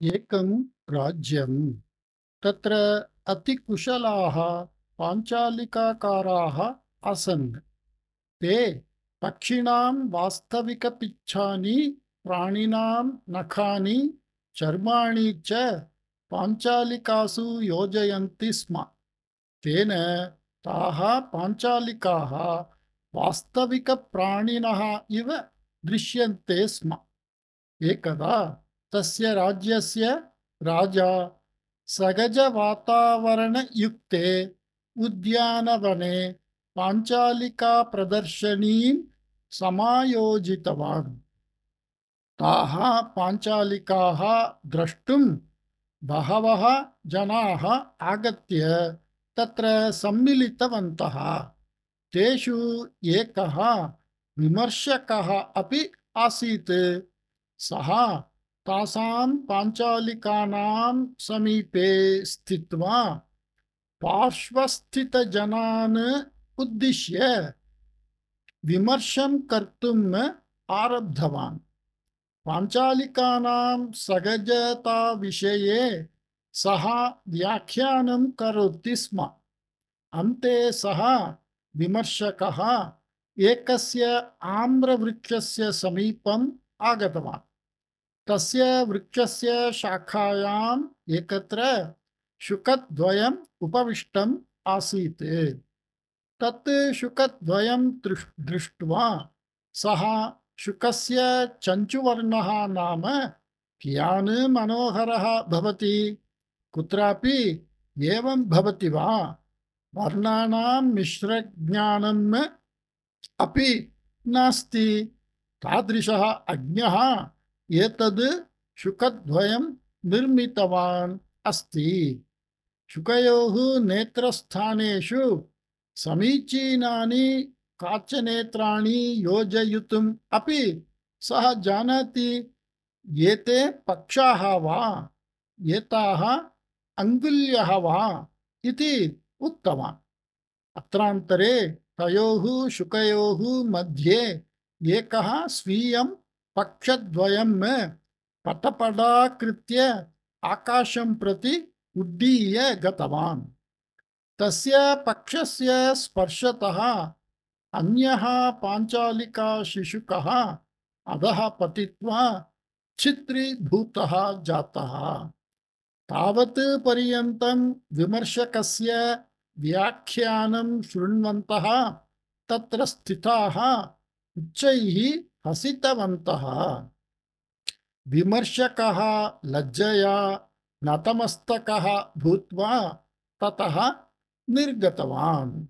एकं राज्यं तत्र अतिकुशलाः पाञ्चालिकाकाराः आसन्। ते पक्षिणां वास्तविकपिच्छानि, प्राणिनां नखानि, चर्माणि च पाञ्चालिकासु योजयन्ति स्म। तेन ताः पाञ्चालिकाः वास्तविकप्राणिनः इव दृश्यन्ते स्म। एकदा तस्य राज्यस्य राजा सहजवातावरणयुक्ते उद्यानवने पाञ्चालिकाप्रदर्शनीं समायोजितवान्। ताः पाञ्चालिकाः द्रष्टुं बहवः जनाः आगत्य तत्र सम्मिलितवन्तः। तेषु एकः विमर्शकः अपि आसीत्। सः तासां पाञ्चालिकानां समीपे स्थित्वा पार्श्वस्थितजनान् उद्दिश्य विमर्शं कर्तुम् आरब्धवान्। पाञ्चालिकानां सहजताविषये सः व्याख्यानं करोति स्म। अन्ते सः विमर्शकः एकस्य आम्रवृक्षस्य समीपम् आगतवान्। तस्य वृक्षस्य शाखायाम् एकत्र शुकद्वयम् उपविष्टम् आसीत्। तत् शुकद्वयं दृष्ट्वा सः शुकस्य चञ्चुवर्णः नाम कियान् मनोहरः भवति, कुत्रापि एवं भवति वा? वर्णानां मिश्रज्ञानम् अपि नास्ति। तादृशः अज्ञः एतद् शुकद्वयं निर्मितवान् अस्ति। शुकयोः नेत्रस्थानेषु समीचीनानि काचनेत्राणि योजयितुम् अपि सः जानाति। एते पक्षाः वा, एताः अङ्गुल्यः वा इति उक्तवान्। अत्रान्तरे तयोः शुकयोः मध्ये एकः स्वीयं पक्षद्वयं पटपटाकृत्य आकाशं प्रति उड्डीय गतवान्। तस्य पक्षस्य स्पर्शतः अन्यः पाञ्चालिकाशिशुकः अधः पतित्वा छिद्रीभूतः जातः। तावत् पर्यन्तं विमर्शकस्य व्याख्यानं शृण्वन्तः तत्र स्थिताः उच्चैः हसितवन्तः। विमर्शकः लज्जया नतमस्तकः भूत्वा ततः निर्गतवान्।